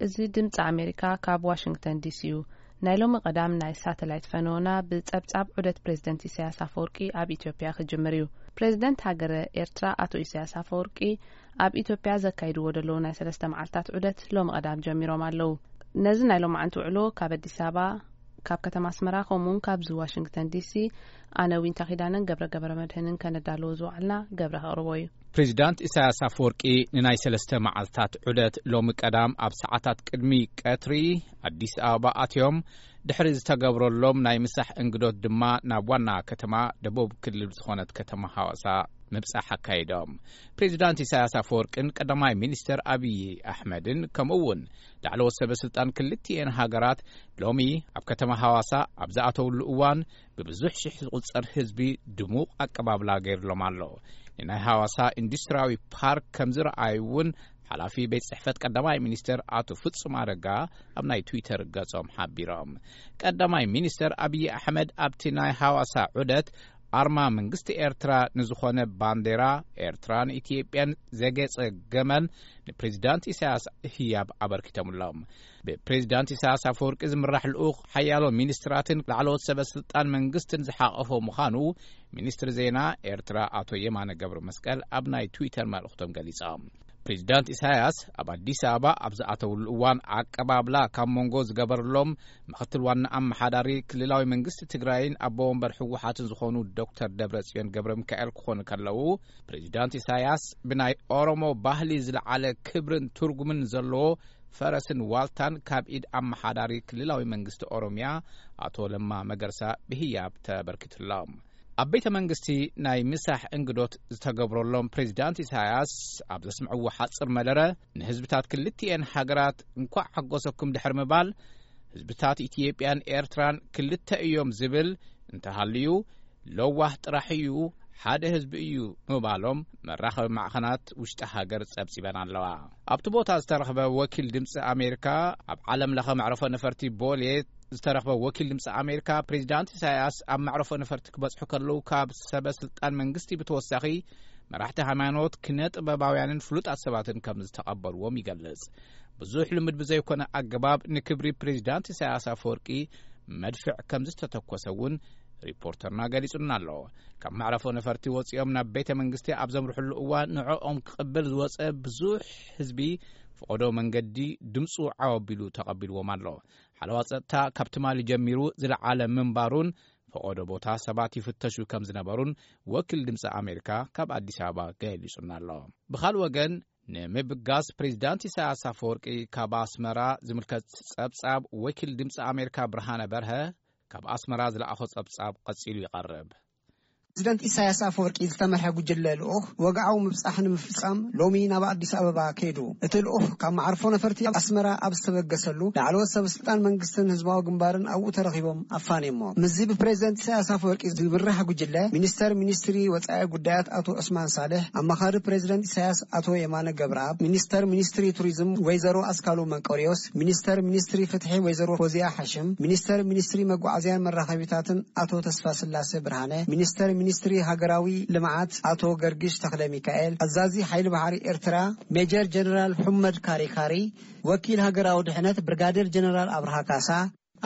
እዚ ድምፂ ኣሜሪካ ካብ ዋሽንግተን ዲሲ እዩ። ናይ ሎሚ ቀዳም ናይ ሳተላይት ፈነወና ብፀብፃብ ዑደት ፕሬዝደንት ኢሳያስ ኣፈወርቂ ኣብ ኢትዮጵያ ክጅምር እዩ። ፕሬዝደንት ሃገረ ኤርትራ ኣቶ ኢሳያስ ኣፈወርቂ ኣብ ኢትዮጵያ ዘካይድዎ ዘለዉ ናይ ሰለስተ መዓልታት ዑደት ሎሚ ቀዳም ጀሚሮም ኣለዉ። ነዚ ናይ ሎማዓንቲ ውዕሎ ካብ ኣዲስ ኣበባ፣ ካብ ከተማ ኣስመራ፣ ከምኡውን ካብዚ ዋሽንግተን ዲሲ ኣነ ዊንታ ኪዳነን ገብረ ገብረ መድህንን ከነዳለዎ ዝወዓልና ገብረ ከቕርቦ እዩ። ፕሬዚዳንት ኢሳያስ ኣፈወርቂ ንናይ ሰለስተ መዓልታት ዑደት ሎሚ ቀዳም ኣብ ሰዓታት ቅድሚ ቀትሪ ኣዲስ ኣበባ ኣትዮም፣ ድሕሪ ዝተገብረሎም ናይ ምሳሕ እንግዶት ድማ ናብ ዋና ከተማ ደቡብ ክልል ዝኾነት ከተማ ሃዋሳ ምብጻሕ ኣካይዶም። ፕሬዚዳንት ኢሳያስ ኣፈወርቅን ቀዳማይ ሚኒስተር ኣብዪ ኣሕመድን ከምኡ እውን ላዕለዎት ሰበ ስልጣን ክልቲኤን ሃገራት ሎሚ ኣብ ከተማ ሃዋሳ ኣብ ዝኣተውሉ እዋን ብብዙሕ ሽሕ ዝቑጸር ህዝቢ ድሙቕ ኣቀባብላ ገይርሎም ኣሎ። ንናይ ሃዋሳ ኢንዱስትሪያዊ ፓርክ ከም ዝረኣዩ እውን ሓላፊ ቤት ጽሕፈት ቀዳማይ ሚኒስተር ኣቶ ፍጹም ኣረጋ ኣብ ናይ ትዊተር ገጾም ሓቢሮም። ቀዳማይ ሚኒስተር ኣብዪ ኣሕመድ ኣብቲ ናይ ሃዋሳ ዑደት ኣርማ መንግስቲ ኤርትራ ንዝኾነ ባንዴራ ኤርትራን ኢትዮጵያን ዘጌጸ ገመል ንፕሬዚዳንት ኢሳያስ ህያብ ኣበርኪቶምሎም። ብፕሬዚዳንት ኢሳያስ ኣፈወርቂ ዝምራሕ ልኡኽ ሓያሎ ሚኒስትራትን ላዕለዎት ሰበ ስልጣን መንግስትን ዝሓቐፎ ምዃኑ ሚኒስትሪ ዜና ኤርትራ ኣቶ የማነ ገብረ መስቀል ኣብ ናይ ትዊተር መልእኽቶም ገሊጾም። ፕሬዚዳንት ኢሳያስ ኣብ ኣዲስ ኣበባ ኣብ ዝኣተውሉ እዋን ኣቀባብላ ካብ መንጎ ዝገበርሎም ምኽትል ዋና ኣመሓዳሪ ክልላዊ መንግስቲ ትግራይን ኣቦ ወንበር ህወሓትን ዝኾኑ ዶክተር ደብረጽዮን ገብረ ሚካኤል ክኾኑ ከለዉ፣ ፕሬዚዳንት ኢሳያስ ብናይ ኦሮሞ ባህሊ ዝለዓለ ክብርን ትርጉምን ዘለዎ ፈረስን ዋልታን ካብ ኢድ ኣመሓዳሪ ክልላዊ መንግስቲ ኦሮሚያ ኣቶ ለማ መገርሳ ብህያብ ተበርኪቱሎም። ኣብ ቤተ መንግስቲ ናይ ምሳሕ እንግዶት ዝተገብረሎም ፕሬዚዳንት ኢሳያስ ኣብ ዘስምዕዎ ሓጽር መደረ፣ ንህዝብታት ክልቲኤን ሃገራት እንኳዕ ሓጎሰኩም ድሕሪ ምባል፣ ህዝብታት ኢትዮጵያን ኤርትራን ክልተ እዮም ዝብል እንተሃልዩ፣ ለዋህ ጥራሕ እዩ፣ ሓደ ህዝቢ እዩ ምባሎም መራኸቢ ማዕኸናት ውሽጢ ሃገር ጸብጺበን ኣለዋ። ኣብቲ ቦታ ዝተረኽበ ወኪል ድምፂ ኣሜሪካ፣ ኣብ ዓለም ለኸ መዕረፎ ነፈርቲ ቦሌ ዝተረኽበ ወኪል ድምፂ ኣሜሪካ፣ ፕሬዚዳንት ኢሳያስ ኣብ መዕረፎ ነፈርቲ ክበጽሑ ከለዉ ካብ ሰበ ስልጣን መንግስቲ ብተወሳኺ መራሕቲ ሃይማኖት፣ ኪነ ጥበባውያንን ፍሉጣት ሰባትን ከም ዝተቐበልዎም ይገልጽ። ብዙሕ ልምድ ብዘይኮነ ኣገባብ ንክብሪ ፕሬዚዳንት ኢሳያስ ኣፈወርቂ መድፍዕ ከም ዝተተኮሰ እውን ሪፖርተርና ገሊጹልና ኣሎ። ካብ መዕረፎ ነፈርቲ ወጺኦም ናብ ቤተ መንግስቲ ኣብ ዘምርሕሉ እዋን ንዕኦም ክቕበል ዝወጸ ብዙሕ ህዝቢ ፈቐዶ መንገዲ ድምፁ ዓው ኣቢሉ ተቐቢልዎም ኣሎ። ሓለዋ ጸጥታ ካብ ትማሊ ጀሚሩ ዝለዓለ ምንባሩን ፈቐዶ ቦታ ሰባት ይፍተሹ ከም ዝነበሩን ወኪል ድምፂ ኣሜሪካ ካብ ኣዲስ ኣበባ ገሊጹና ኣሎ። ብኻልእ ወገን፣ ንምብጋስ ፕሬዚዳንት ኢሳያስ ኣፈወርቂ ካብ ኣስመራ ዝምልከት ጸብጻብ ወኪል ድምፂ ኣሜሪካ ብርሃነ በርሀ ካብ ኣስመራ ዝለኣኾ ጸብጻብ ቀጺሉ ይቐርብ። ፕሬዚደንት ኢሳያስ ኣፈወርቂ ዝተመርሐ ጉጅለ ልኡኽ ወግዓዊ ምብጻሕ ንምፍጻም ሎሚ ናብ ኣዲስ ኣበባ ከይዱ። እቲ ልኡኽ ካብ መዓርፎ ነፈርቲ ኣስመራ ኣብ ዝተበገሰሉ ላዕለዎት ሰበ ስልጣን መንግስትን ህዝባዊ ግንባርን ኣብኡ ተረኺቦም ኣፋንዮሞ። ምስዚ ብፕሬዚደንት ኢሳያስ ኣፈወርቂ ዝምራሕ ጉጅለ ሚኒስተር ሚኒስትሪ ወጻኢ ጉዳያት ኣቶ ዑስማን ሳልሕ፣ ኣማኻሪ ፕሬዚደንት ኢሳያስ ኣቶ የማነ ገብረኣብ፣ ሚኒስተር ሚኒስትሪ ቱሪዝም ወይዘሮ ኣስካሉ መንቆሪዮስ፣ ሚኒስተር ሚኒስትሪ ፍትሒ ወይዘሮ ፎዚያ ሓሽም፣ ሚኒስተር ሚኒስትሪ መጓዓዝያን መራኸቢታትን ኣቶ ተስፋስላሴ ብርሃነ፣ ሚኒስተር ሚኒስትሪ ሃገራዊ ልምዓት ኣቶ ገርጊሽ ተኽለ ሚካኤል፣ ኣዛዚ ሓይሊ ባሕሪ ኤርትራ ሜጀር ጀነራል ሑመድ ካሪካሪ፣ ወኪል ሃገራዊ ድሕነት ብርጋዴር ጀነራል ኣብርሃ ካሳ፣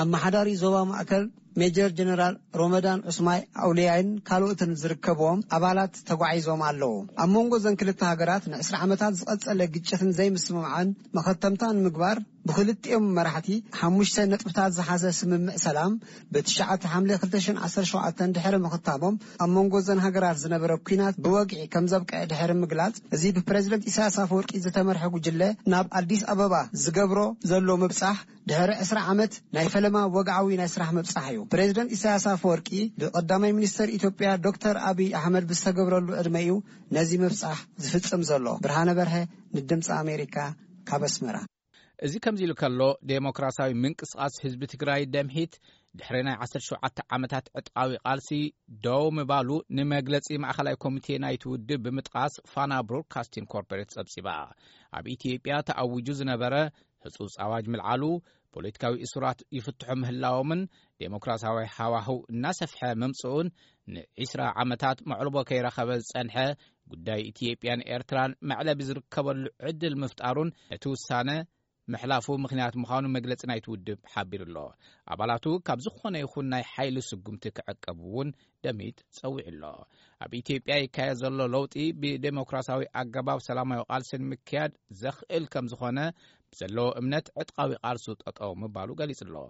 ኣመሓዳሪ ዞባ ማእከል ሜጀር ጀነራል ሮመዳን ዑስማይ ኣውልያይን ካልኦትን ዝርከብዎም ኣባላት ተጓዒዞም ኣለዉ። ኣብ መንጎ እዘን ክልተ ሃገራት ንዕስራ ዓመታት ዝቐጸለ ግጭትን ዘይምስምማዕን መኸተምታ ንምግባር ብክልቲኦም መራሕቲ ሓሙሽተ ነጥብታት ዝሓዘ ስምምዕ ሰላም ብትሽዓተ ሓምለ ክልተ ሽሕን ዓሰርተ ሸውዓተን ድሕሪ ምኽታሞም፣ ኣብ መንጎ እዘን ሃገራት ዝነበረ ኲናት ብወግዒ ከም ዘብቅዐ ድሕሪ ምግላጽ፣ እዚ ብፕሬዚደንት ኢሳያስ ኣፈወርቂ ዝተመርሐ ጉጅለ ናብ ኣዲስ ኣበባ ዝገብሮ ዘሎ ምብጻሕ ድሕሪ ዕስራ ዓመት ናይ ፈለማ ወግዓዊ ናይ ስራሕ ምብጻሕ እዩ። ፕሬዚደንት ኢሳያስ ኣፈወርቂ ብቀዳማይ ሚኒስተር ኢትዮጵያ ዶክተር ኣብይ ኣሕመድ ብዝተገብረሉ ዕድመ እዩ ነዚ ምብጻሕ ዝፍጽም ዘሎ። ብርሃነ በርሀ ንድምፂ ኣሜሪካ ካብ ኣስመራ። እዚ ከምዚ ኢሉ ከሎ፣ ዴሞክራሲያዊ ምንቅስቓስ ህዝቢ ትግራይ ደምሂት ድሕሪ ናይ ዓሰርተ ሸውዓተ ዓመታት ዕጥቃዊ ቃልሲ ደው ምባሉ ንመግለጺ ማእኸላይ ኮሚቴ ናይቲ ውድብ ብምጥቃስ ፋና ብሮድካስቲንግ ኮርፖሬት ጸብጺባ። ኣብ ኢትዮጵያ ተኣዊጁ ዝነበረ ህጹጽ ኣዋጅ ምልዓሉ፣ ፖለቲካዊ እሱራት ይፍትሑ ምህላዎምን ዴሞክራሲያዊ ሃዋህው እናሰፍሐ ምምጽኡን፣ ንዒስራ ዓመታት መዕልቦ ከይረኸበ ዝጸንሐ ጉዳይ ኢትዮጵያን ኤርትራን መዕለቢ ዝርከበሉ ዕድል ምፍጣሩን ነቲ ውሳነ ምሕላፉ ምኽንያት ምዃኑ መግለጺ ናይቲ ውድብ ሓቢሩ ኣሎ። ኣባላቱ ካብ ዝኾነ ይኹን ናይ ሓይሊ ስጉምቲ ክዕቀቡ እውን ደሚት ጸዊዑ ኣሎ። ኣብ ኢትዮጵያ ይካየድ ዘሎ ለውጢ ብዴሞክራሲያዊ ኣገባብ ሰላማዊ ቃልሲ ንምክያድ ዘኽእል ከም ዝኾነ ብዘለዎ እምነት ዕጥቃዊ ቃልሱ ጠጠው ምባሉ ገሊጹ ኣሎ።